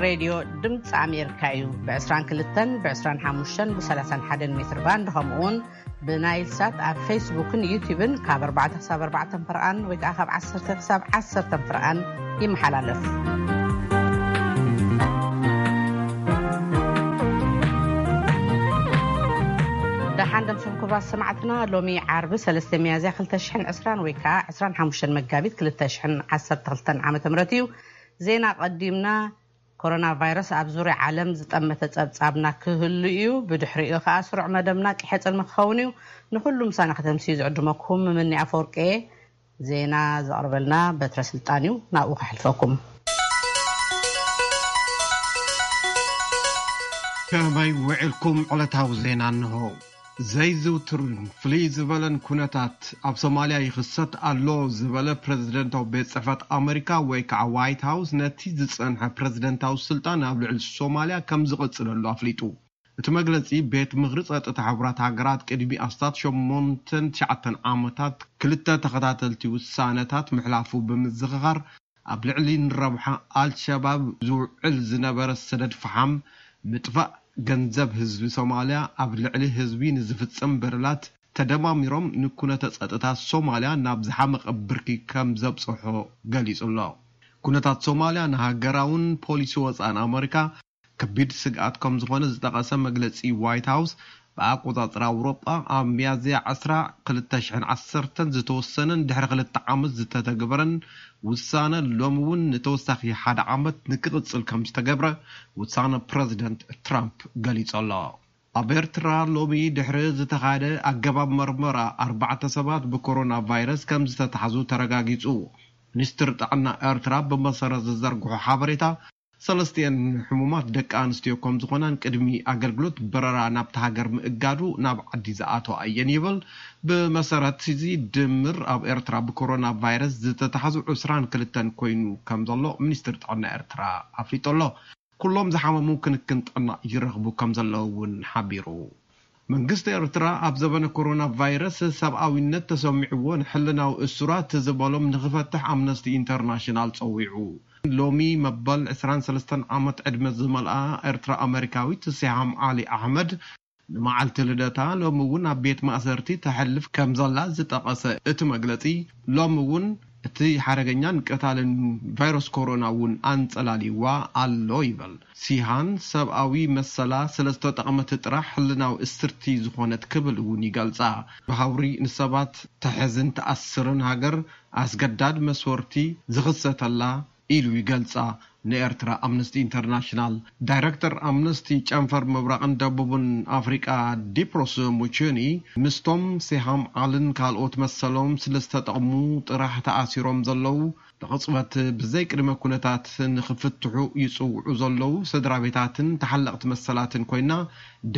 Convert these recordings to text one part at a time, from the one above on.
ሬድዮ ድምፂ ኣሜሪካ እዩ። ብ22፣ ብ25፣ ብ31 ሜትር ባንድ፣ ከምኡ እውን ብናይል ሳት ኣብ ፌስቡክን ዩቲዩብን ካብ ኣርባዕተ ክሳብ ኣርባዕተ ፍርቓን ወይ ከዓ ካብ ዓሰርተ ክሳብ ዓሰርተ ፍርቓን ይመሓላለፍ። ደሓን ደምስኩም ክቡራት ሰማዕትና፣ ሎሚ ዓርቢ ሰለስተ ሚያዝያ ክልተ ሽሕን ዕስራን ወይ ከዓ ዕስራን ሓሙሽተን መጋቢት ክልተ ሽሕን ዓሰርተ ክልተን ዓመተ ምህረት እዩ። ዜና ቀዲምና። ኮሮና ቫይረስ ኣብ ዙርያ ዓለም ዝጠመተ ጸብጻብና ክህሉ እዩ። ብድሕሪኡ ከኣ ስሩዕ መደብና ቅሐ ጽልሚ ክኸውን እዩ። ንኹሉ ምሳና ከተምስዩ ዝዕድመኩም ምምኒ ኣፈወርቂ እየ። ዜና ዘቕርበልና በትረ ስልጣን እዩ። ናብኡ ከሕልፈኩም። ከመይ ውዕልኩም? ዕለታዊ ዜና እንሆ። ዘይዝውትርን ፍልይ ዝበለን ኩነታት ኣብ ሶማልያ ይኽሰት ኣሎ ዝበለ ፕረዚደንታዊ ቤት ጽሕፈት ኣመሪካ ወይ ከዓ ዋይት ሃውስ፣ ነቲ ዝጸንሐ ፕረዚደንታዊ ስልጣን ኣብ ልዕሊ ሶማልያ ከም ዝቕጽለሉ ኣፍሊጡ። እቲ መግለጺ፣ ቤት ምኽሪ ጸጥታ ሕቡራት ሃገራት ቅድሚ ኣስታት ሸሞንተን ትሽዓተን ዓመታት ክልተ ተኸታተልቲ ውሳነታት ምሕላፉ ብምዝኽኻር፣ ኣብ ልዕሊ ንረብሓ ኣልሸባብ ዝውዕል ዝነበረ ሰደድ ፈሓም ምጥፋእ፣ ገንዘብ ህዝቢ ሶማልያ ኣብ ልዕሊ ህዝቢ ንዝፍጸም በደላት ተደማሚሮም ንኩነተ ጸጥታ ሶማልያ ናብ ዝሓመቐ ብርኪ ከም ዘብጽሖ ገሊጹ ኣሎ። ኩነታት ሶማልያ ንሃገራውን ፖሊሲ ወጻእን ኣመሪካ ከቢድ ስግኣት ከም ዝኾነ ዝጠቐሰ መግለጺ ዋይት ሃውስ፣ ብኣቆጻጽራ ኣውሮጳ ኣብ ሚያዝያ ዕስራ ክልተ ሽሕን ዓሰርተን ዝተወሰነን ድሕሪ ክልተ ዓመት ዝተተግበረን ውሳነ ሎሚ እውን ንተወሳኺ ሓደ ዓመት ንክቕጽል ከም ዝተገብረ ውሳነ ፕረዚደንት ትራምፕ ገሊጹ ኣሎ። ኣብ ኤርትራ ሎሚ ድሕሪ ዝተኻየደ ኣገባብ መርመራ ኣርባዕተ ሰባት ብኮሮና ቫይረስ ከም ዝተታሕዙ ተረጋጊጹ። ሚኒስትር ጥዕና ኤርትራ ብመሰረት ዝዘርግሖ ሓበሬታ፣ ሰለስቲኤን ሕሙማት ደቂ ኣንስትዮ ከም ዝኾናን ቅድሚ ኣገልግሎት በረራ ናብቲ ሃገር ምእጋዱ ናብ ዓዲ ዝኣተዋ እየን ይብል። ብመሰረት እዚ ድምር ኣብ ኤርትራ ብኮሮና ቫይረስ ዝተታሕዙ ዕስራን ክልተን ኮይኑ ከም ዘሎ ሚኒስትር ጥዕና ኤርትራ ኣፍሊጡ ኣሎ። ኩሎም ዝሓመሙ ክንክን ጥዕና ይረኽቡ ከም ዘለዉ እውን ሓቢሩ። መንግስቲ ኤርትራ ኣብ ዘበነ ኮሮና ቫይረስ ሰብኣዊነት ተሰሚዕዎ ንሕልናዊ እሱራት ዝበሎም ንኽፈትሕ ኣምነስቲ ኢንተርናሽናል ጸዊዑ። ሎሚ መበል ዕስራን ሰለስተን ዓመት ዕድመ ዝመልኣ ኤርትራ ኣመሪካዊት ሲሃም ዓሊ ኣሕመድ ንመዓልቲ ልደታ ሎሚ እውን ኣብ ቤት ማእሰርቲ ተሕልፍ ከም ዘላ ዝጠቐሰ እቲ መግለጺ፣ ሎሚ እውን እቲ ሓደገኛን ቀታልን ቫይረስ ኮሮና እውን ኣንጸላልይዋ ኣሎ ይበል። ሲሃን ሰብኣዊ መሰላ ስለ ዝተጠቕመት ጥራሕ ሕልናዊ እስርቲ ዝኾነት ክብል እውን ይገልጻ። ብሃውሪ ንሰባት ተሕዝን ትኣስርን ሃገር ኣስገዳድ መስወርቲ ዝኽሰተላ ኢሉ ይገልጻ ንኤርትራ ኣምነስቲ ኢንተርናሽናል። ዳይረክተር ኣምነስቲ ጨንፈር ምብራቕን ደቡብን ኣፍሪቃ ዲፕሮስ ሙቹኒ፣ ምስቶም ሴሃም ዓልን ካልኦት መሰሎም ስለ ዝተጠቕሙ ጥራሕ ተኣሲሮም ዘለዉ፣ ብቕጽበት ብዘይ ቅድመ ኩነታት ንኽፍትሑ ይጽውዑ ዘለዉ ስድራ ቤታትን ተሓለቕቲ መሰላትን ኮይና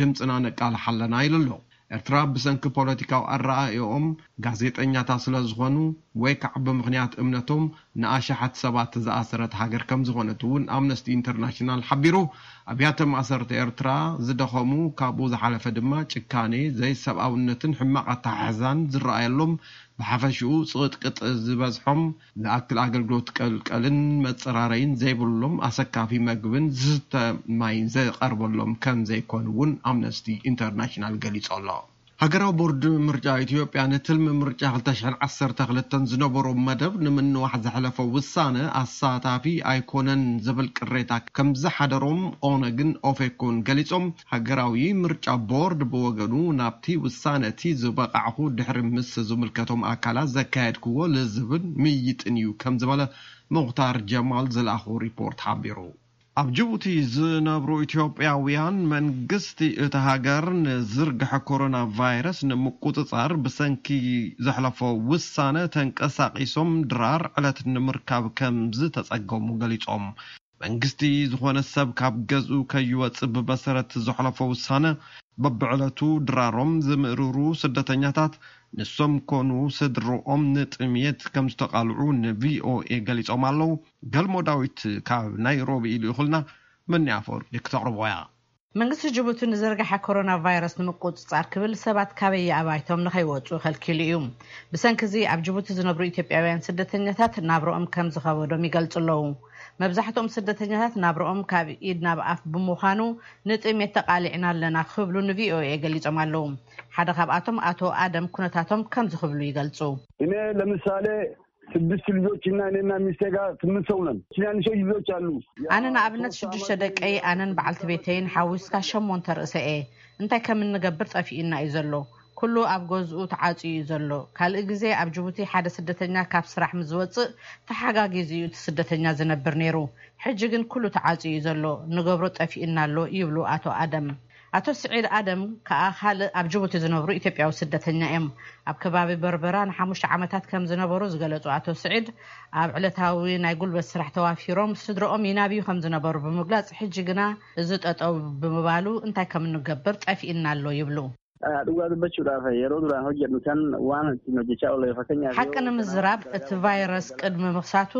ድምጽና ነቃልሕ ኣለና ኢሉ ኣሎ። ኤርትራ ብሰንኪ ፖለቲካዊ ኣረኣእዮኦም ጋዜጠኛታት ስለ ዝኾኑ ወይ ከዓ ብምኽንያት እምነቶም ንኣሽሓት ሰባት ዝኣሰረት ሃገር ከም ዝኾነት እውን ኣምነስቲ ኢንተርናሽናል ሓቢሩ። ኣብያተ ማእሰርቲ ኤርትራ ዝደኸሙ፣ ካብኡ ዝሓለፈ ድማ ጭካኔ፣ ዘይሰብኣውነትን ሕማቕ ኣተሓሕዛን ዝረኣየሎም፣ ብሓፈሽኡ ጽቕጥቅጥ ዝበዝሖም፣ ዝኣክል ኣገልግሎት ቀልቀልን መጸራረይን ዘይብሎም፣ ኣሰካፊ መግብን ዝስተ ማይን ዝቐርበሎም ከም ዘይኮኑ እውን ኣምነስቲ ኢንተርናሽናል ገሊጹ ኣሎ። ሃገራዊ ቦርድ ምርጫ ኢትዮጵያ ንትልሚ ምርጫ ክልተ ሽሕን ዓሰርተ ክልተን ዝነበሮ መደብ ንምንዋሕ ዘሕለፎ ውሳነ ኣሳታፊ ኣይኮነን ዝብል ቅሬታ ከም ዝሓደሮም ኦነግን ኦፌኮን ገሊጾም። ሃገራዊ ምርጫ ቦርድ ብወገኑ ናብቲ ውሳነ እቲ ዝበቃዕኹ ድሕሪ ምስ ዝምልከቶም ኣካላት ዘካየድክዎ ልዝብን ምይይጥን እዩ ከም ዝበለ ሙኽታር ጀማል ዝለኣኾ ሪፖርት ሓቢሩ። ኣብ ጅቡቲ ዝነብሩ ኢትዮጵያውያን መንግስቲ እቲ ሃገር ንዝርግሐ ኮሮና ቫይረስ ንምቁጽጻር ብሰንኪ ዘሕለፎ ውሳነ ተንቀሳቒሶም ድራር ዕለት ንምርካብ ከም ዝተጸገሙ ገሊጾም። መንግስቲ ዝኾነ ሰብ ካብ ገዝኡ ከይወጽእ ብመሰረት ዘሕለፎ ውሳነ በብዕለቱ ድራሮም ዝምእርሩ ስደተኛታት ንሶም ኮኑ ስድርኦም ንጥምየት ከም ዝተቓልዑ ንቪኦኤ ገሊጾም ኣለዉ። ገልሞ ዳዊት ካብ ናይሮቢ ልኢኹልና፣ መኒ ኣፈወርቂ ክተቕርቦ እያ። መንግስቲ ጅቡቲ ንዝርግሐ ኮሮና ቫይረስ ንምቁፅፃር ክብል ሰባት ካበየ ኣባይቶም ንኸይወፁ ከልኪሉ እዩ። ብሰንኪ እዚ ኣብ ጅቡቲ ዝነብሩ ኢትዮጵያውያን ስደተኛታት ናብረኦም ከም ዝኸበዶም ይገልፁ ኣለዉ። መብዛሕትኦም ስደተኛታት ናብረኦም ካብ ኢድ ናብ ኣፍ ብምዃኑ ንጥሜት ተቓሊዕና ኣለና ክብሉ ን ቪ ኦ ኤ ገሊጾም ኣለዉ። ሓደ ካብኣቶም ኣቶ ኣደም ኩነታቶም ከምዚ ክብሉ ይገልጹ። እኔ ለምሳሌ ስድስት ልጆችና እኔና ሚስቴ ጋር ስምንት ሰው ነን። ትናንሾች ልጆች አሉ። ኣነ ንኣብነት ሽዱሽተ ደቀይ ኣነን በዓልቲ ቤተይን ሓዊስካ ሸሞንተ ርእሰ እየ። እንታይ ከም እንገብር ጠፊእና እዩ ዘሎ። ኩሉ ኣብ ገዝኡ ተዓጽዩ እዩ ዘሎ። ካልእ ግዜ ኣብ ጅቡቲ ሓደ ስደተኛ ካብ ስራሕ ምስ ዝወጽእ ተሓጋጊዙ እዩ እቲ ስደተኛ ዝነብር ነይሩ። ሕጂ ግን ኩሉ ተዓጽዩ እዩ ዘሎ። ንገብሮ ጠፊእና ኣሎ ይብሉ ኣቶ ኣደም። ኣቶ ስዒድ ኣደም ከኣ ካልእ ኣብ ጅቡቲ ዝነብሩ ኢትዮጵያዊ ስደተኛ እዮም። ኣብ ከባቢ በርበራ ንሓሙሽተ ዓመታት ከም ዝነበሩ ዝገለጹ ኣቶ ስዒድ፣ ኣብ ዕለታዊ ናይ ጉልበት ስራሕ ተዋፊሮም ስድረኦም ይናብዩ ከም ዝነበሩ ብምግላጽ፣ ሕጂ ግና እዚ ጠጠው ብምባሉ እንታይ ከም እንገብር ጠፊእና ኣሎ ይብሉ። Dhugaa dubbachuudhaaf yeroo duraan hojjedhu san waan ittiin hojjechaa oole fakkeenya ሓቂ ንምዝራብ እቲ ቫይረስ ቅድሚ ምኽሳቱ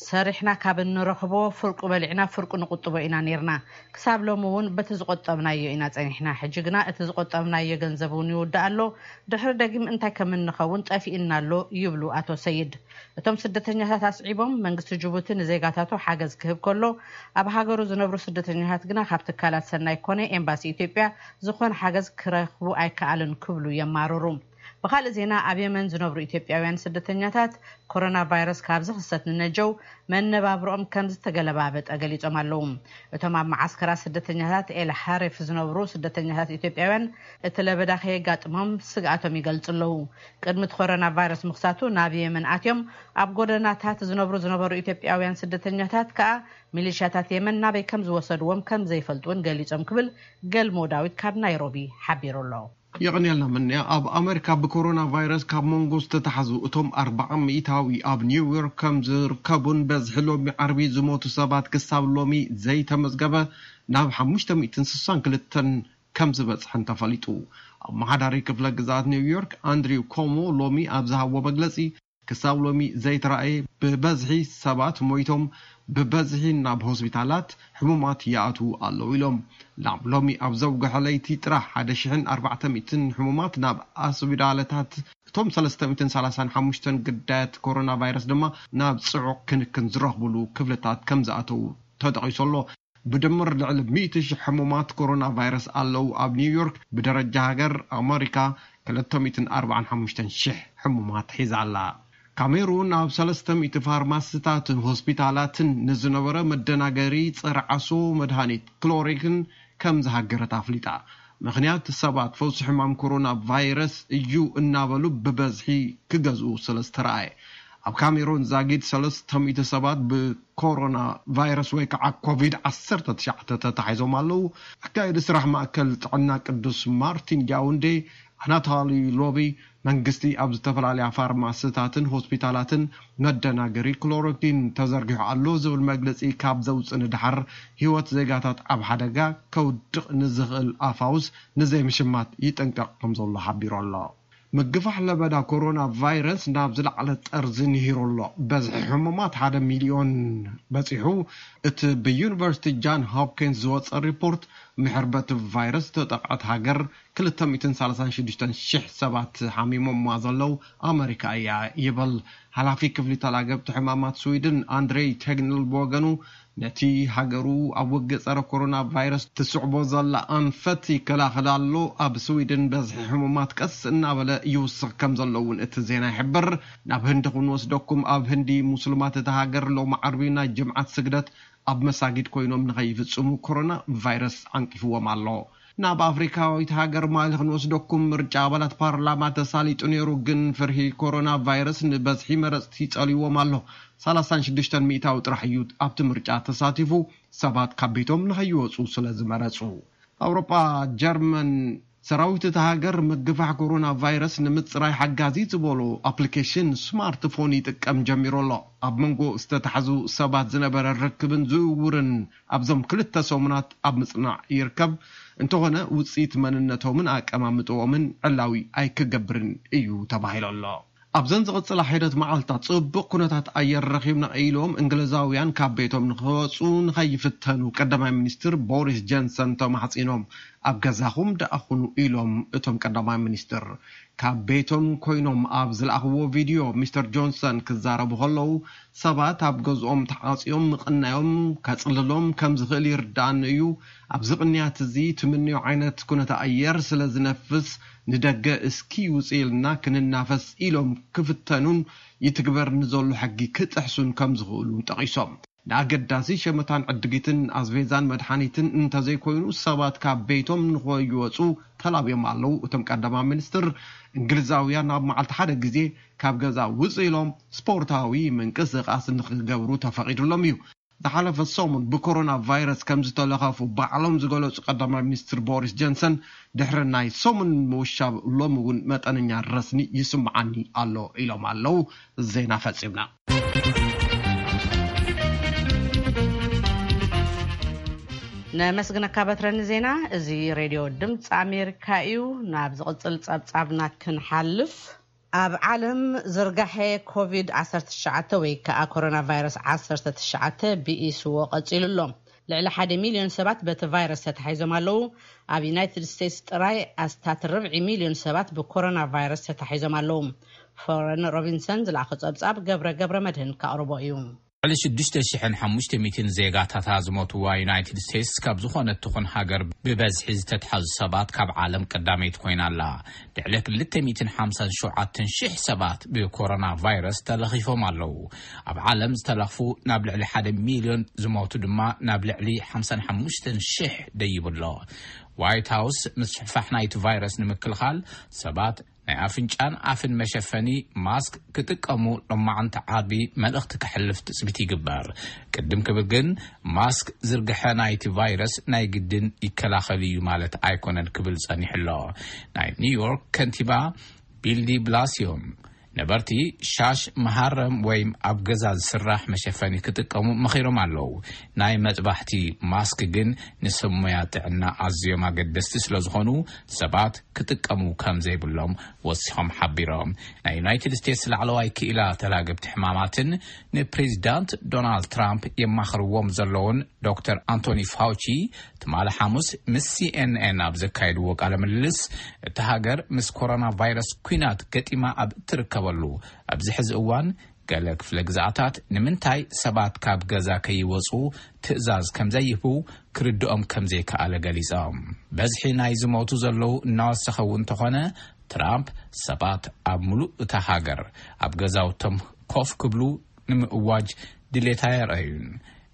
ሰሪሕና ካብ እንረኽቦ ፍርቁ በሊዕና ፍርቁ ንቁጥቦ ኢና ነርና። ክሳብ ሎሚ እውን በቲ ዝቆጠብናዮ ኢና ጸኒሕና። ሕጂ ግና እቲ ዝቆጠብናዮ ገንዘብ እውን ይውዳእ ኣሎ። ድሕሪ ደጊም እንታይ ከም እንኸውን ጠፊእና ኣሎ ይብሉ ኣቶ ሰይድ። እቶም ስደተኛታት ኣስዒቦም መንግስቲ ጅቡቲ ንዜጋታቱ ሓገዝ ክህብ ከሎ ኣብ ሃገሩ ዝነብሩ ስደተኛታት ግና ካብ ትካላት ሰናይ ኮነ ኤምባሲ ኢትዮጵያ ዝኾነ ሓገዝ ክረኽቡ ኣይከኣልን ክብሉ የማርሩ። ብኻልእ ዜና ኣብ የመን ዝነብሩ ኢትዮጵያውያን ስደተኛታት ኮሮና ቫይረስ ካብ ዝኽሰት ንነጀው መነባብሮኦም ከም ዝተገለባበጠ ገሊጾም ኣለዉ። እቶም ኣብ መዓስከራት ስደተኛታት ኤል ሓሬፍ ዝነብሩ ስደተኛታት ኢትዮጵያውያን እቲ ለበዳ ከየጋጥሞም ስግኣቶም ይገልጹ ኣለዉ። ቅድሚ እቲ ኮሮና ቫይረስ ምኽሳቱ ናብ የመን ኣትዮም ኣብ ጎደናታት ዝነብሩ ዝነበሩ ኢትዮጵያውያን ስደተኛታት ከኣ ሚሊሻታት የመን ናበይ ከም ዝወሰድዎም ከም ዘይፈልጡ እውን ገሊጾም ክብል ገልሞ ዳዊት ካብ ናይሮቢ ሓቢሩ ኣሎ። የቐንየልና ምንያ። ኣብ ኣመሪካ ብኮሮና ቫይረስ ካብ መንጎ ዝተታሕዙ እቶም ኣርባዓ ሚእታዊ ኣብ ኒውዮርክ ከም ዝርከቡን በዝሒ ሎሚ ዓርቢ ዝሞቱ ሰባት ክሳብ ሎሚ ዘይተመዝገበ ናብ ሓሙሽተ ሚእትን ስሳን ክልተን ከም ዝበፅሐን ተፈሊጡ። ኣመሓዳሪ ክፍለ ግዛት ኒውዮርክ ኣንድሪው ኮሞ ሎሚ ኣብ ዝሃቦ መግለፂ ክሳብ ሎሚ ዘይተራእየ ብበዝሒ ሰባት ሞይቶም ብበዝሒ ናብ ሆስፒታላት ሕሙማት ይኣትዉ ኣለዉ ኢሎም። ናብ ሎሚ ኣብ ዘውግሐ ለይቲ ጥራሕ ሓደ ሽሕን ኣርባዕተ ሚእትን ሕሙማት ናብ ኣስቢዳለታት እቶም ሰለስተ ሚእትን ሰላሳን ሓሙሽተን ግዳያት ኮሮና ቫይረስ ድማ ናብ ጽዑቕ ክንክን ዝረኽብሉ ክፍልታት ከም ዝኣተዉ ተጠቒሱ ኣሎ። ብድምር ልዕሊ ሚእቲ ሽሕ ሕሙማት ኮሮና ቫይረስ ኣለዉ ኣብ ኒውዮርክ። ብደረጃ ሃገር ኣመሪካ ክልተ ሚእትን ኣርባዓን ሓሙሽተን ሽሕ ሕሙማት ሒዛ ኣላ። ካሜሩን ኣብ ሰለስተ ሚእቲ ፋርማስታትን ሆስፒታላትን ንዝነበረ መደናገሪ ጸረ ዓሶ መድሃኒት ክሎሪክን ከም ዝሃገረት ኣፍሊጣ። ምኽንያት ሰባት ፈውሲ ሕማም ኮሮና ቫይረስ እዩ እናበሉ ብበዝሒ ክገዝኡ ስለ ዝተረኣየ። ኣብ ካሜሩን ዛጊድ ሰለስተ ሚእቲ ሰባት ብኮሮና ቫይረስ ወይ ከዓ ኮቪድ ዓሰርተ ትሽዓተ ተታሒዞም ኣለዉ። ኣካየዲ ስራሕ ማእከል ጥዕና ቅዱስ ማርቲን ያውንዴ ኣናታሊ ሎቢ መንግስቲ ኣብ ዝተፈላለያ ፋርማስታትን ሆስፒታላትን መደናገሪ ክሎሮኪን ተዘርጊሑ ኣሎ ዝብል መግለፂ ካብ ዘውፅእ ንድሓር ህይወት ዜጋታት ኣብ ሓደጋ ከውድቕ ንዝኽእል ኣፋውስ ንዘይምሽማት ይጥንቀቕ ከም ዘሎ ሓቢሩ ኣሎ። ምግፋሕ ለበዳ ኮሮና ቫይረስ ናብ ዝለዓለ ጠርዚ ንሂሩ ኣሎ። በዝሒ ሕሙማት ሓደ ሚልዮን በፂሑ። እቲ ብዩኒቨርሲቲ ጃን ሆፕኪንስ ዝወፀ ሪፖርት ምሕር በቲ ቫይረስ ዝተጠቕዐት ሃገር ክልተ ሚእትን ሰላሳን ሽዱሽተን ሽሕ ሰባት ሓሚሞማ ዘለዉ ኣመሪካ እያ ይብል። ሓላፊ ክፍሊ ተላገብቲ ሕማማት ስዊድን ኣንድሬይ ቴግነል ብወገኑ ነቲ ሃገሩ ኣብ ውግእ ጸረ ኮሮና ቫይረስ ትስዕቦ ዘላ ኣንፈት ይከላኸል ኣሎ። ኣብ ስዊድን በዝሒ ሕሙማት ቀስ እናበለ ይውስኽ ከም ዘሎ እውን እቲ ዜና ይሕብር። ናብ ህንዲ ክንወስደኩም፣ ኣብ ህንዲ ሙስልማት እታ ሃገር ሎም ዓርቢ ናይ ጅምዓት ስግደት ኣብ መሳጊድ ኮይኖም ንኸይፍጽሙ ኮሮና ቫይረስ ዓንቂፍዎም ኣሎ። ናብ ኣፍሪካዊት ሃገር ማሊ ክንወስደኩም፣ ምርጫ ኣባላት ፓርላማ ተሳሊጡ ነይሩ፣ ግን ፍርሂ ኮሮና ቫይረስ ንበዝሒ መረፅቲ ጸልይዎም ኣሎ። ሰላሳን ሽዱሽተን ሚእታዊ ጥራሕ እዩ ኣብቲ ምርጫ ተሳቲፉ፣ ሰባት ካብ ቤቶም ንኸይወፁ ስለ ዝመረፁ። ኣውሮጳ፣ ጀርመን፣ ሰራዊት እታ ሃገር ምግፋሕ ኮሮና ቫይረስ ንምፅራይ ሓጋዚ ዝበሎ ኣፕሊኬሽን ስማርትፎን ይጥቀም ጀሚሩ ኣሎ። ኣብ መንጎ ዝተታሕዙ ሰባት ዝነበረ ርክብን ዝውውርን ኣብዞም ክልተ ሰሙናት ኣብ ምፅናዕ ይርከብ። እንተኾነ ውፅኢት መንነቶምን ኣቀማምጥኦምን ዕላዊ ኣይክገብርን እዩ ተባሂሉ ኣሎ። ኣብዘን ዝቕጽላ ሒደት መዓልታት ጽቡቕ ኩነታት ኣየር ረኺብና ኢሎም እንግሊዛውያን ካብ ቤቶም ንኽወጹ ንኸይፍተኑ ቀዳማይ ሚኒስትር ቦሪስ ጆንሰን ተማሕጺኖም። ኣብ ገዛኹም ደኣ ኩኑ ኢሎም እቶም ቀዳማይ ሚኒስትር። ካብ ቤቶም ኮይኖም ኣብ ዝለኣኽዎ ቪድዮ ሚስተር ጆንሰን ክዛረቡ ከለዉ ሰባት ኣብ ገዝኦም ተዓጽዮም ምቕናዮም ከጽልሎም ከም ዝኽእል ይርዳእኒ እዩ። ኣብዚ ቅንያት እዚ ትምንዮ ዓይነት ኩነተ ኣየር ስለ ዝነፍስ ንደገ እስኪ ውጽእ ኢልና ክንናፈስ ኢሎም ክፍተኑን ይትግበር ንዘሎ ሕጊ ክጥሕሱን ከም ዝኽእሉ ጠቒሶም። ንኣገዳሲ ሸመታን ዕድጊትን ኣስቤዛን መድሓኒትን እንተዘይኮይኑ ሰባት ካብ ቤቶም ንኸይወፁ ተላብዮም ኣለዉ። እቶም ቀዳማይ ሚኒስትር እንግሊዛውያን ኣብ መዓልቲ ሓደ ግዜ ካብ ገዛ ውፅእ ኢሎም ስፖርታዊ ምንቅስቃስ ንክገብሩ ተፈቒዱሎም እዩ። ዝሓለፈ ሰሙን ብኮሮና ቫይረስ ከም ዝተለኸፉ ባዕሎም ዝገለጹ ቀዳማይ ሚኒስትር ቦሪስ ጆንሰን ድሕሪ ናይ ሰሙን ምውሻብ ሎሚ እውን መጠነኛ ረስኒ ይስምዓኒ ኣሎ ኢሎም ኣለዉ። ዜና ፈጺምና። ነመስግነካ በትረኒ ዜና። እዚ ሬድዮ ድምፂ ኣሜሪካ እዩ። ናብ ዝቕፅል ፀብፃብና ክንሓልፍ፣ ኣብ ዓለም ዝርጋሐ ኮቪድ ዓሰርተ ትሽዓተ ወይ ከዓ ኮሮና ቫይረስ ዓሰርተ ትሽዓተ ብኢስዎ ቀፂሉ ኣሎ። ልዕሊ ሓደ ሚሊዮን ሰባት በቲ ቫይረስ ተታሒዞም ኣለዉ። ኣብ ዩናይትድ ስቴትስ ጥራይ ኣስታት ርብዒ ሚሊዮን ሰባት ብኮሮና ቫይረስ ተታሒዞም ኣለዉ። ፎረን ሮቢንሰን ዝለኣኾ ፀብፃብ ገብረ ገብረ መድህን ከቕርቦ እዩ። ልዕሊ ሽዱሽተ ሽሕን ሓሙሽተ ሚእትን ዜጋታታ ዝሞትዋ ዩናይትድ ስቴትስ ካብ ዝኾነት ትኹን ሃገር ብበዝሒ ዝተትሓዙ ሰባት ካብ ዓለም ቀዳመይቲ ኮይና ኣላ። ልዕሊ ክልተ ሚእትን ሓምሳን ሸውዓተን ሽሕ ሰባት ብኮሮና ቫይረስ ተለኺፎም ኣለዉ። ኣብ ዓለም ዝተለኽፉ ናብ ልዕሊ ሓደ ሚልዮን ዝሞቱ ድማ ናብ ልዕሊ ሓምሳን ሓሙሽተን ሽሕ ደይቡ ኣሎ። ዋይት ሃውስ ምስፍሕፋሕ ናይቲ ቫይረስ ንምክልኻል ሰባት ናይ ኣፍንጫን ኣፍን መሸፈኒ ማስክ ክጥቀሙ ሎማዓንቲ ዓቢ መልእኽቲ ከሕልፍ ትጽቢት ይግበር። ቅድም ክብል ግን ማስክ ዝርግሐ ናይቲ ቫይረስ ናይ ግድን ይከላኸል እዩ ማለት ኣይኮነን ክብል ጸኒሑ ኣሎ። ናይ ኒውዮርክ ከንቲባ ቢል ዲ ብላሲዮ ነበርቲ ሻሽ፣ መሃረም ወይ ኣብ ገዛ ዝስራሕ መሸፈኒ ክጥቀሙ መኺሮም ኣለዉ። ናይ መጥባሕቲ ማስክ ግን ንሰብ ሞያ ጥዕና ኣዝዮም ኣገደስቲ ስለ ዝኾኑ ሰባት ክጥቀሙ ከም ዘይብሎም ወሲኾም ሓቢሮም። ናይ ዩናይትድ ስቴትስ ላዕለዋይ ክኢላ ተላገብቲ ሕማማትን ንፕሬዚዳንት ዶናልድ ትራምፕ የማኽርዎም ዘለውን ዶክተር ኣንቶኒ ፋውቺ ትማሊ ሓሙስ ምስ ሲኤንኤን ኣብ ዘካየድዎ ቃለ ምልልስ፣ እታ ሃገር ምስ ኮሮና ቫይረስ ኲናት ገጢማ ኣብ እትርከበሉ ኣብዚ ሕዚ እዋን፣ ገለ ክፍለ ግዝኣታት ንምንታይ ሰባት ካብ ገዛ ከይወጹ ትእዛዝ ከም ዘይህቡ ክርድኦም ከም ዘይከኣለ ገሊጾም። በዝሒ ናይ ዝሞቱ ዘለዉ እናወሰኸ እውን እንተኾነ፣ ትራምፕ ሰባት ኣብ ምሉእ እታ ሃገር ኣብ ገዛውቶም ኮፍ ክብሉ ንምእዋጅ ድሌት ኣየርኣዩን።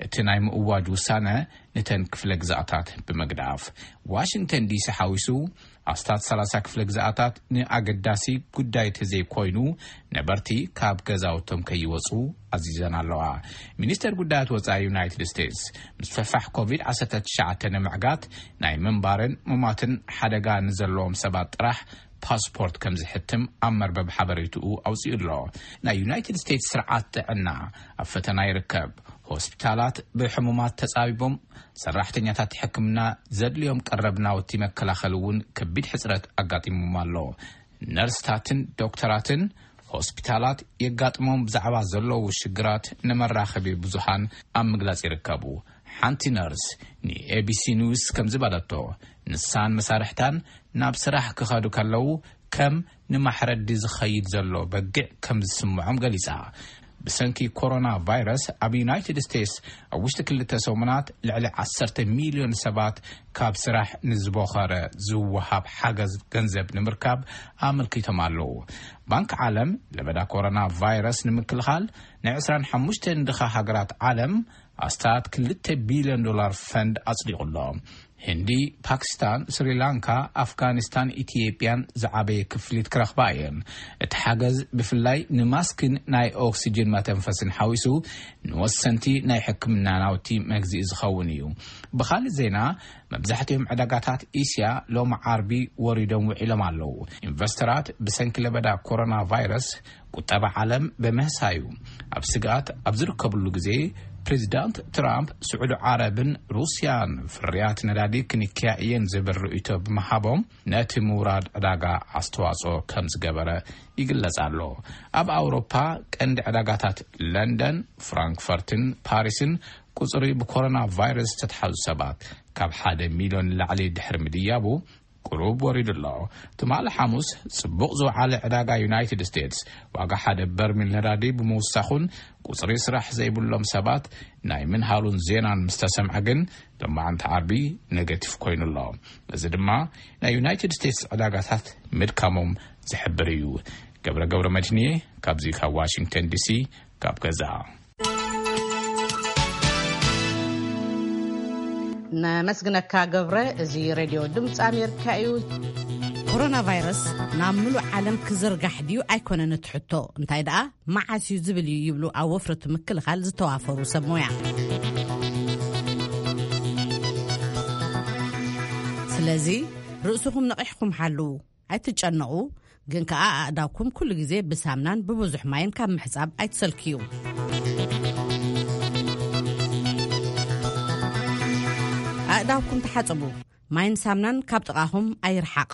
እቲ ናይ ምእዋጅ ውሳነ ነተን ክፍለ ግዝኣታት ብምግዳፍ፣ ዋሽንግተን ዲሲ ሓዊሱ ኣስታት ሰላሳ ክፍለ ግዝኣታት ንኣገዳሲ ጉዳይ ተዘይኮይኑ ነበርቲ ካብ ገዛውቶም ከይወፁ ኣዚዘን ኣለዋ። ሚኒስተር ጉዳያት ወፃኢ ዩናይትድ ስቴትስ ምስፍሕፋሕ ኮቪድ ዓሰርተ ትሽዓተ ንምዕጋት ናይ ምንባርን ምሟትን ሓደጋ ንዘለዎም ሰባት ጥራሕ ፓስፖርት ከም ዝሕትም ኣብ መርበብ ሓበሬትኡ ኣውፂኡ ኣሎ። ናይ ዩናይትድ ስቴትስ ስርዓት ጥዕና ኣብ ፈተና ይርከብ። ሆስፒታላት ብሕሙማት ተጻቢቦም፣ ሰራሕተኛታት ሕክምና ዘድልዮም ቀረብ ናውቲ መከላኸሊ እውን ከቢድ ሕጽረት ኣጋጢሞም ኣሎ። ነርስታትን ዶክተራትን ሆስፒታላት የጋጥሞም ብዛዕባ ዘለዉ ሽግራት ንመራኸቢ ብዙሃን ኣብ ምግላጽ ይርከቡ። ሓንቲ ነርስ ንኤቢሲ ኒውስ ከም ዝበለቶ፣ ንሳን መሳርሕታን ናብ ስራሕ ክኸዱ ከለዉ ከም ንማሕረዲ ዝኸይድ ዘሎ በጊዕ ከም ዝስምዖም ገሊጻ። ብሰንኪ ኮሮና ቫይረስ ኣብ ዩናይትድ ስቴትስ ኣብ ውሽጢ ክልተ ሰሙናት ልዕሊ ዓሰርተ ሚልዮን ሰባት ካብ ስራሕ ንዝቦኸረ ዝወሃብ ሓገዝ ገንዘብ ንምርካብ ኣመልኪቶም ኣለዉ። ባንክ ዓለም ለበዳ ኮሮና ቫይረስ ንምክልኻል ናይ ዕስራን ሓሙሽተን ድኻ ሃገራት ዓለም ኣስታት ክልተ ቢልዮን ዶላር ፈንድ ኣጽዲቑ ኣሎ። ህንዲ፣ ፓኪስታን፣ ስሪላንካ፣ ኣፍጋኒስታን ኢትዮጵያን ዝዓበየ ክፍሊት ክረኽባ እየን። እቲ ሓገዝ ብፍላይ ንማስክን ናይ ኦክሲጅን መተንፈስን ሓዊሱ ንወሰንቲ ናይ ሕክምና ናውቲ መግዝኢ ዝኸውን እዩ። ብኻልእ ዜና፣ መብዛሕትኦም ዕዳጋታት እስያ ሎሚ ዓርቢ ወሪዶም ውዒሎም ኣለዉ። ኢንቨስተራት ብሰንኪ ለበዳ ኮሮና ቫይረስ ቁጠባ ዓለም ብምህሳዩ ኣብ ስግኣት ኣብ ዝርከብሉ ግዜ ፕሬዚዳንት ትራምፕ፣ ስዑዲ ዓረብን ሩስያን ፍርያት ነዳዲ ክንክያ እየን ዝብል ርእይቶ ብምሃቦም፣ ነቲ ምውራድ ዕዳጋ ኣስተዋጽኦ ከም ዝገበረ ይግለጽ ኣሎ። ኣብ ኣውሮፓ፣ ቀንዲ ዕዳጋታት ለንደን፣ ፍራንክፈርትን ፓሪስን ቁጽሪ ብኮሮና ቫይረስ ዝተትሓዙ ሰባት ካብ ሓደ ሚልዮን ንላዕሊ ድሕሪ ምድያቡ፣ ቁሩብ ወሪዱ ኣሎ። ትማሊ ሓሙስ፣ ጽቡቕ ዝወዓለ ዕዳጋ ዩናይትድ ስቴትስ፣ ዋጋ ሓደ በርሚል ነዳዲ ብምውሳኹን፣ ቁጽሪ ስራሕ ዘይብሎም ሰባት ናይ ምንሃሉን ዜናን ምስ ተሰምዐ ግን፣ ሎማዓንቲ ዓርቢ ኔጋቲቭ ኮይኑ ኣሎ። እዚ ድማ ናይ ዩናይትድ ስቴትስ ዕዳጋታት ምድካሞም ዝሕብር እዩ። ገብረ ገብረ መድህንየ፣ ካብዚ ካብ ዋሽንግተን ዲሲ፣ ካብ ገዛ። ነመስግነካ ገብረ። እዚ ሬድዮ ድምፂ ኣሜሪካ እዩ። ኮሮና ቫይረስ ናብ ምሉእ ዓለም ክዝርጋሕ ድዩ ኣይኮነን እቲ ሕቶ፣ እንታይ ደኣ መዓስ እዩ ዝብል እዩ ይብሉ ኣብ ወፍሪ ምክልኻል ዝተዋፈሩ ሰብ ሞያ። ስለዚ ርእስኹም ነቒሕኩም ሓልዉ። ኣይትጨነቑ፣ ግን ከኣ ኣእዳውኩም ኩሉ ግዜ ብሳምናን ብብዙሕ ማይን ካብ ምሕጻብ ኣይትሰልክዩ። ኣእዳውኩም ተሓጽቡ፣ ማይን ሳምናን ካብ ጥቓኹም ኣይርሓቕ።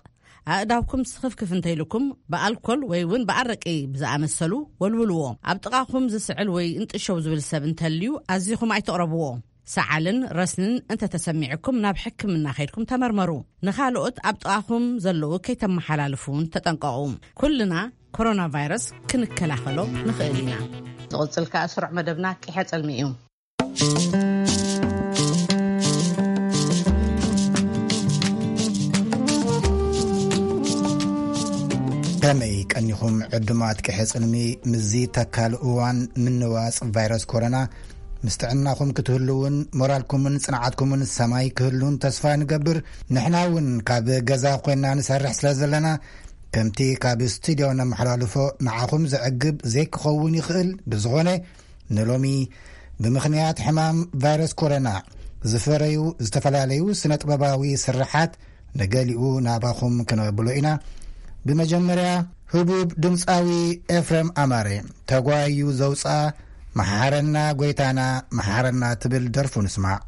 ኣእዳውኩም ስኽፍክፍ እንተይልኩም ብኣልኮል ወይ እውን ብኣረቂ ብዝኣመሰሉ ወልውልዎ። ኣብ ጥቓኹም ዝስዕል ወይ እንጥሸው ዝብል ሰብ እንተልዩ ኣዚኹም ኣይትቕረብዎ። ሰዓልን ረስንን እንተተሰሚዕኩም ናብ ሕክምና ከይድኩም ተመርመሩ። ንኻልኦት ኣብ ጥቓኹም ዘለዉ ከይተመሓላልፉ እውን ተጠንቀቑ። ኩልና ኮሮና ቫይረስ ክንከላኸሎ ንኽእል ኢና። ዝቕጽል ከኣ ስሩዕ መደብና ቂሐ ጽልሚ እዩ። ከመይ ቀኒኹም ዕዱማት ቂሐ ጽልሚ? ምስዚ ተካል እዋን ምንዋጽ ቫይረስ ኮሮና ምስ ጥዕናኹም ክትህልውን ሞራልኩምን ጽንዓትኩምን ሰማይ ክህሉን ተስፋ ንገብር። ንሕና እውን ካብ ገዛ ኮይና ንሰርሕ ስለ ዘለና ከምቲ ካብ ስቱድዮ ነመሓላልፎ ንዓኹም ዘዕግብ ዘይክኸውን ይኽእል። ብዝኾነ ንሎሚ ብምኽንያት ሕማም ቫይረስ ኮሮና ዝፈረዩ ዝተፈላለዩ ስነ ጥበባዊ ስርሓት ንገሊኡ ናባኹም ክነብሎ ኢና። ብመጀመርያ ህቡብ ድምፃዊ ኤፍረም ኣማረ ተጓዩ ዘውፅኣ መሓረና ጎይታና መሓረና ትብል ደርፉ ንስማዕ።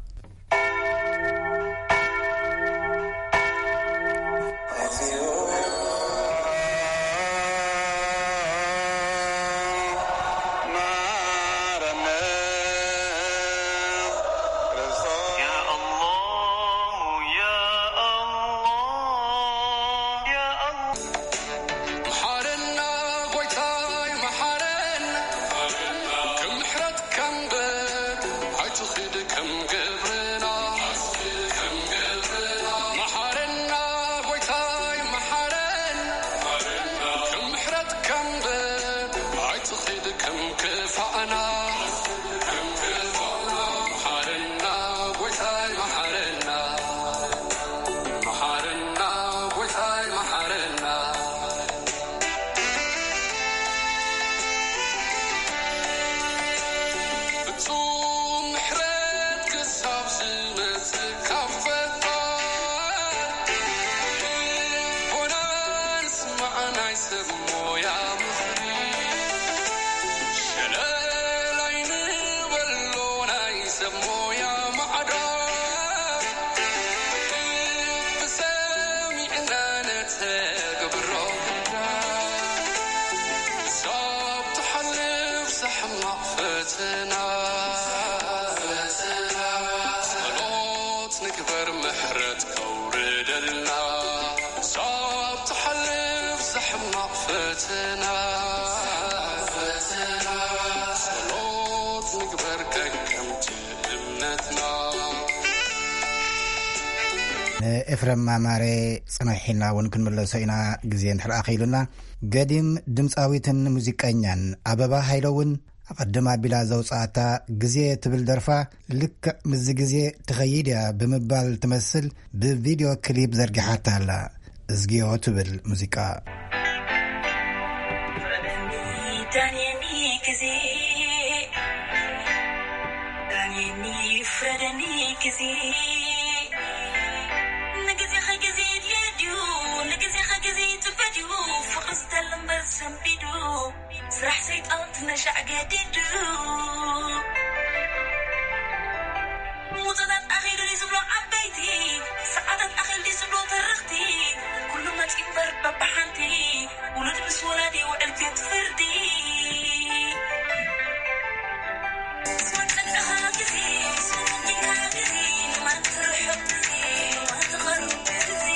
ንኤፍረም ኣማረ ጽንሕ ኢልና እውን ክንምለሶ ኢና፣ ግዜ እንድሕር ኣኺሉና። ገዲም ድምፃዊትን ሙዚቀኛን ኣበባ ሃይለ እውን ኣቐድም ኣቢላ ዘውፅኣታ ግዜ ትብል ደርፋ ልክዕ ምስዚ ግዜ ትኸይድ እያ ብምባል ትመስል ብቪድዮ ክሊፕ ዘርጊሓታ ኣላ። እዝግዮ ትብል ሙዚቃ። እምበር በብሓንቲ ውሉድ ምስ ወላዲ ይውዕል ቤት ፍርዲ። ምስ ወደቅኻ ግዜ፣ ምስ ወደቅኻ ግዜ፣ ንማን ትርሕቕ ግዜ፣ ንማን ትቐርብ ግዜ።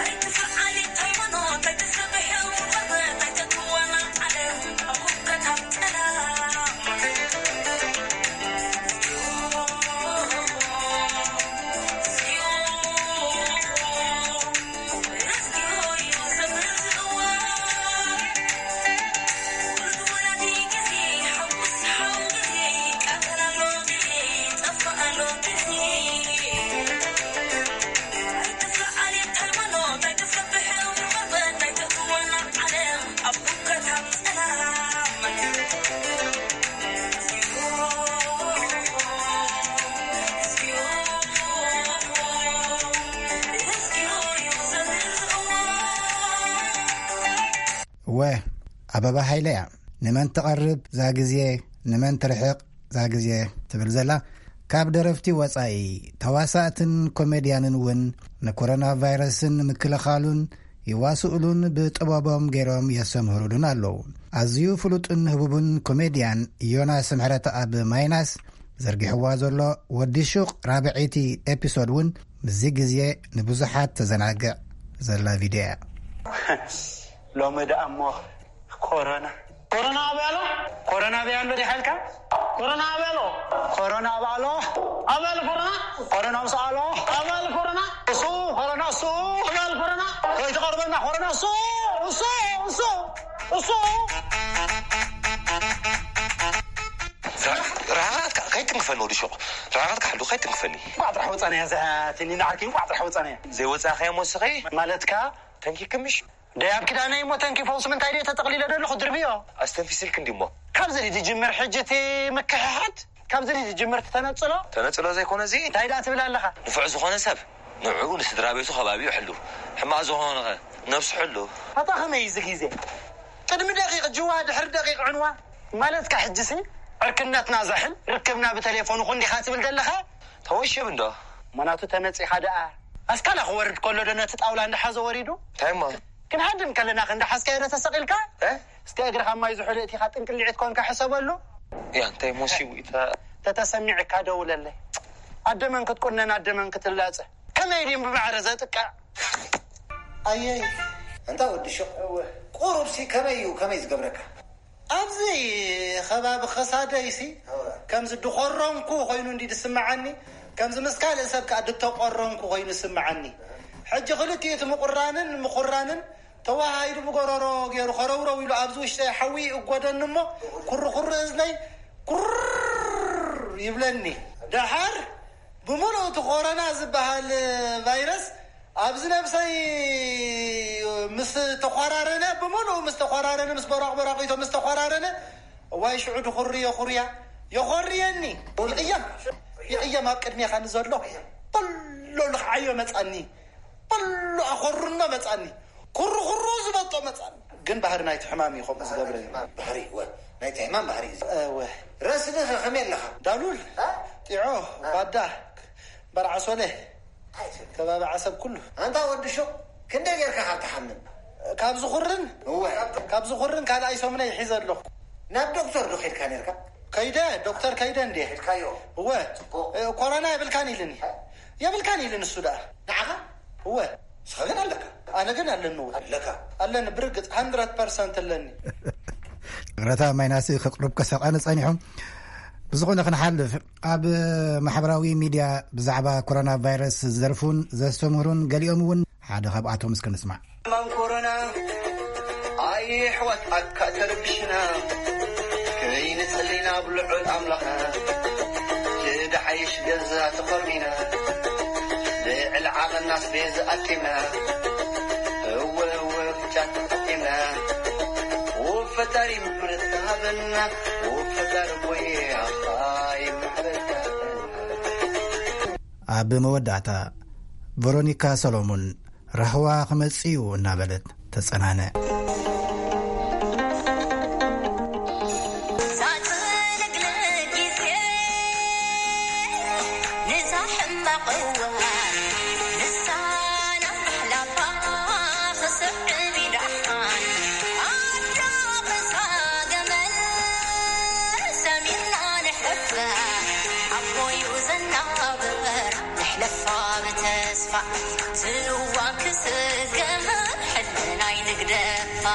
ኣይትፍዓል ሃይማኖት፣ ኣይትሰብሕ ቆርበት፣ ኣይተትዋና ዓለም፣ ኣብ ውድቀት ኣብ ጸላም። እወ፣ ኣበባ ሃይለ እያ። ንመን ትቐርብ ዛ ግዜ፣ ንመን ትርሕቕ ዛ ግዜ ትብል ዘላ። ካብ ደረፍቲ ወጻኢ፣ ተዋሳእትን ኮሜድያንን እውን ንኮሮና ቫይረስን ምክልኻሉን ይዋስኡሉን ብጥበቦም ገይሮም የሰምህሩሉን ኣለዉ። ኣዝዩ ፍሉጥን ህቡብን ኮሜድያን ዮናስ ምሕረተኣብ ማይናስ ዘርጊሕዋ ዘሎ ወዲ ሹቕ ራብዐይቲ ኤፒሶድ እውን ምስዚ ግዜ ንብዙሓት ተዘናግዕ ዘላ ቪድዮ እያ። ሎሚ ደኣ እሞ ኮሮና። ኮሮና ኣበይ ኣሎ? ኮሮና ኣበይ ኣሎ ዲኻ ኢልካ? ኮሮና ኣበይ ኣሎ? ኮሮና ኣበይ ኣሎ? ኣበይ ኣሎ ኮሮና? ኮሮና ምስ ኣሎ ኣበይ ኣሎ ኮሮና? እሱ ኮሮና እሱ ኣበይ ኣሎ ኮሮና? ከይትቐርበና ኮሮና እሱ እሱ እሱ እሱ ራኻትካ ከይትንክፈኒ ወዲ ሹቕ ራኻትካ ሓሉ ከይትንክፈኒ። እንቋዕ ጥራሕ ወፃናያ እዛ ትኒና ዓርኪ እንቋዕ ጥራሕ ወፃናያ። ዘይወፃእኻዮ ሞስኺ ማለትካ ተንኪክምሽ ደይ ኣብ ኪዳነይ እሞ ተንኪ ፈውሲ ምንታይ ድየ ተጠቕሊለ ዘለኹ ድርብዮ። ኣስተንፊስልክ እንዲ እሞ። ካብዚ ድዩ ዝጅምር ሕጂ እቲ ምክሕሓድ? ካብዚ ድዩ ዝጅምር እቲ ተነጽሎ? ተነጽሎ ዘይኮነ እዚ እንታይ ደኣ ትብል ኣለኻ? ንፉዕ ዝኾነ ሰብ ንዕኡ ንስድራ ቤቱ ከባቢኡ ሕሉ። ሕማቕ ዝኾነ ኸ ነብሱ ሕሉ። ኣታ ኸመይ እዚ ግዜ? ቅድሚ ደቂቕ ጅዋ ድሕሪ ደቂቕ ዕንዋ ማለትካ ሕጂሲ ዕርክነትና ዘሕል ርክብና ብተሌፎን ይኹን ዲኻ ትብል ዘለኻ? ተወሽብ እንዶ። መናቱ ተመጺኻ ደኣ ኣስካላ ክወርድ ከሎ ዶ ነቲ ጣውላ እንዳሓዘ ወሪዱ? እንታይ እሞ? ክንሃድም ከለና ክንዳሓዝካዮ ዶ ተሰቒልካ? እ? እስከ እግርኻ ማይ ዝሑል እቲኻ ጥንቅሊዒት ኮንካ ሕሰበሉ። ያ እንታይ ሞሲቡ ኢታ ተተሰሚዕካ ደውለለይ። ኣደመን ክትቁነን ኣደመን ክትላጸ። ከመይ ድም ብማዕረ ዘጥቅዕ? ኣየይ እንታ ወዲ ሹቕ ቁሩብሲ ከመይ እዩ ከመይ ዝገብረካ? ኣብዚ ከባቢ ኸሳደይሲ ከምዚ ድኾረንኩ ኮይኑ እንዲ ድስምዓኒ፣ ከምዚ ምስ ካልእ ሰብ ከኣ ድተቆረንኩ ኮይኑ ይስምዓኒ። ሕጂ ክልቲኡ እቲ ምቁራንን ምኹራንን ተዋሃሂዱ ብጎረሮ ገይሩ ኸረውረው ኢሉ ኣብዚ ውሽጠይ ሓዊ ይእጎደኒ እሞ ኩርኩር እዝነይ ኩር ይብለኒ። ደሓር ብምሉእ እቲ ኮሮና ዝበሃል ቫይረስ ኣብዚ ነብሰይ ምስ ተኳራረነ ብምሉኡ ምስ ተኳራረነ ምስ በራቕ በራቒቶ ምስ ተኳራረነ እዋይ ሽዑ ድኹሪ የኹርያ የኾርየኒ ይቕየም ይቕየም ኣብ ቅድሜኻ ንዘሎ በሎ ልኽዓዮ መጻኒ በሎ ኣኾርኖ መጻኒ ኩሩ ኩሩ ዝበጦ መጻኒ ግን ባህሪ ናይቲ ሕማም እዩ ከምኡ ዝገብረኒ ባህሪ ወ ናይቲ ሕማም ባህሪ እዩ እወ ረስኒ ከ ከመይ ኣለኻ ዳሉል ጢዖ ባዳ በርዓሶለ ከባቢ ዓሰብ ኩሉ ኣንታ ወዲ ሹቕ ክንደይ ጌርካ ካብ ትሓምም ካብ ዝኹርን እወ ካብ ዝኹርን ካልኣይ ሰሙነይ ሒዘ ኣለኹ ናብ ዶክተር ዶ ኸድካ ነርካ ከይደ ዶክተር ከይደ እንዴ ኸድካዮ እወ ኮሮና የብልካን ኢልኒ የብልካን ኢልኒ እሱ ደኣ ንዓኻ እወ ንስኻ ግን ኣለካ ኣነ ግን ኣለኒ እወ ኣለካ ኣለኒ ብርግፅ ሃንድረት ፐርሰንት ኣለኒ ረታ ማይናስ ከቅርብ ከሰቃነ ጸኒሑ ብዝኾነ ክንሓልፍ ኣብ ማሕበራዊ ሚድያ ብዛዕባ ኮሮና ቫይረስ ዝደርፉን ዘስተምህሩን ገሊኦም እውን ሓደ ካብኣቶም እስከ ንስማዕ። ሕማም ኮሮና ኣየሕዋት ኣካ ተረብሽና ከይንጽሊ ናብ ልዑል ኣምላኽና ትድሓይሽ ገዛ ተኾርሚና ልዕሊ ዓቐና ስቤዝ ኣኪብና እወ እወ ፍጫት ኣኪብና ውብ ፈጣሪ ምሕረት ሃበና ውብ ፈጣሪ ቦየ ኣኻ ይምሕረካ ኣብ መወዳእታ ቨሮኒካ ሰሎሞን ራህዋ ክመጽእ እዩ እናበለት ተጸናነ። ተስፋ ብተስፋ ዝዋን ክስገር ሕልናይ ንግደፋ።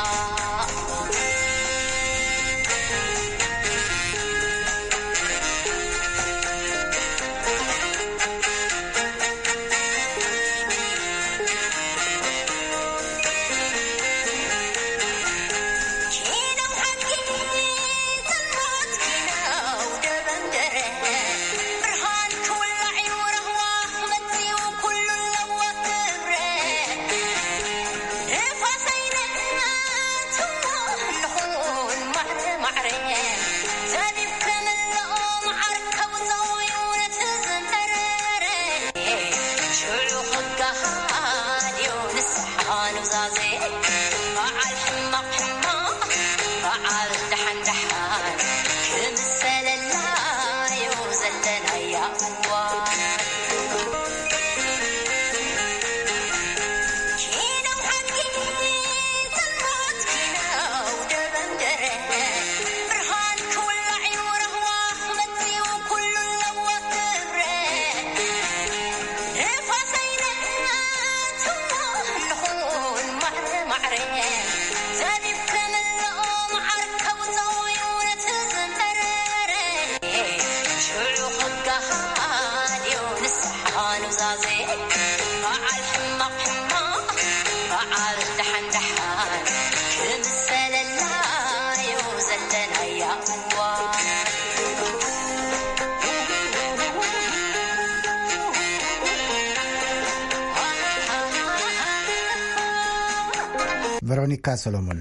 ቨሮኒካ ሰሎሞን፣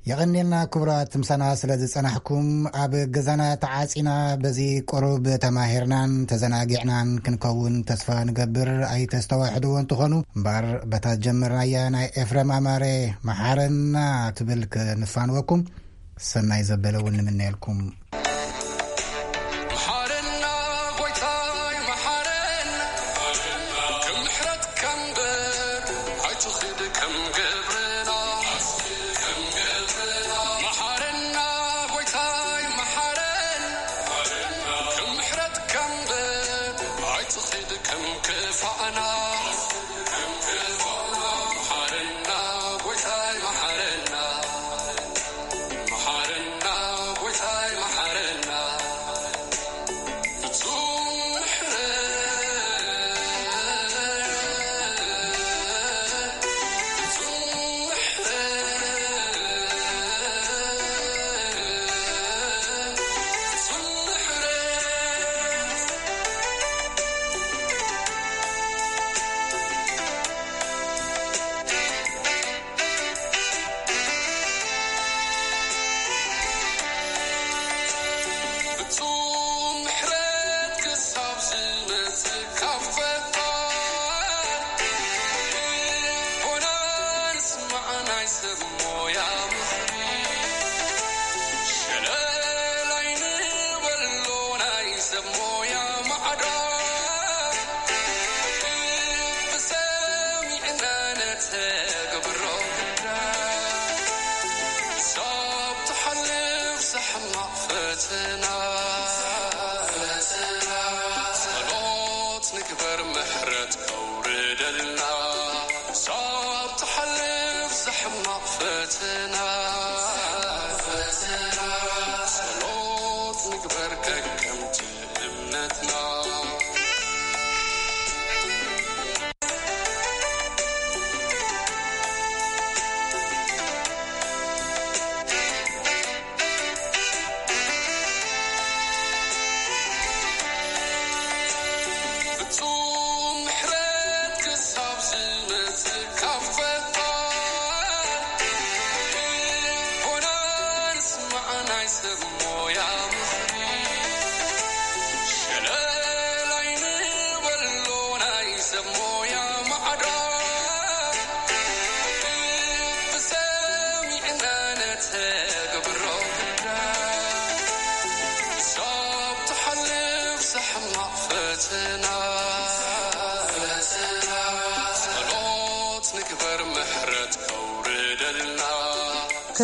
የቐንየልና ክቡራት፣ ምሳና ስለ ዝጸናሕኩም። ኣብ ገዛና ተዓጺና በዚ ቁሩብ ተማሂርናን ተዘናጊዕናን ክንከውን ተስፋ ንገብር። ኣይተስተዋሕድዎ እንትኾኑ እምበኣር፣ በታ ዝጀመርናያ ናይ ኤፍረም ኣማረ መሓረና ትብል ክንፋንወኩም ሰናይ ዘበለ እውን ንምነየልኩም።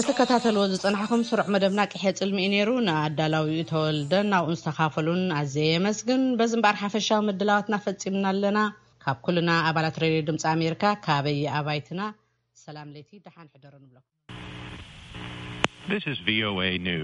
ተከታተልዎ ዝጸናሕኩም ስሩዕ መደብና ቅሐ ጽልሚ እዩ ነይሩ። ንኣዳላዊኡ ተወልደን ናብኡን ዝተኻፈሉን ኣዘየ የመስግን። በዚ እምበኣር ሓፈሻዊ ምድላዋትና ፈጺምና ኣለና። ካብ ኩልና ኣባላት ሬድዮ ድምፂ ኣሜሪካ፣ ካበይ ኣባይትና ሰላም ለይቲ ደሓን ሕደሩ ንብለኩም። This is V O A News.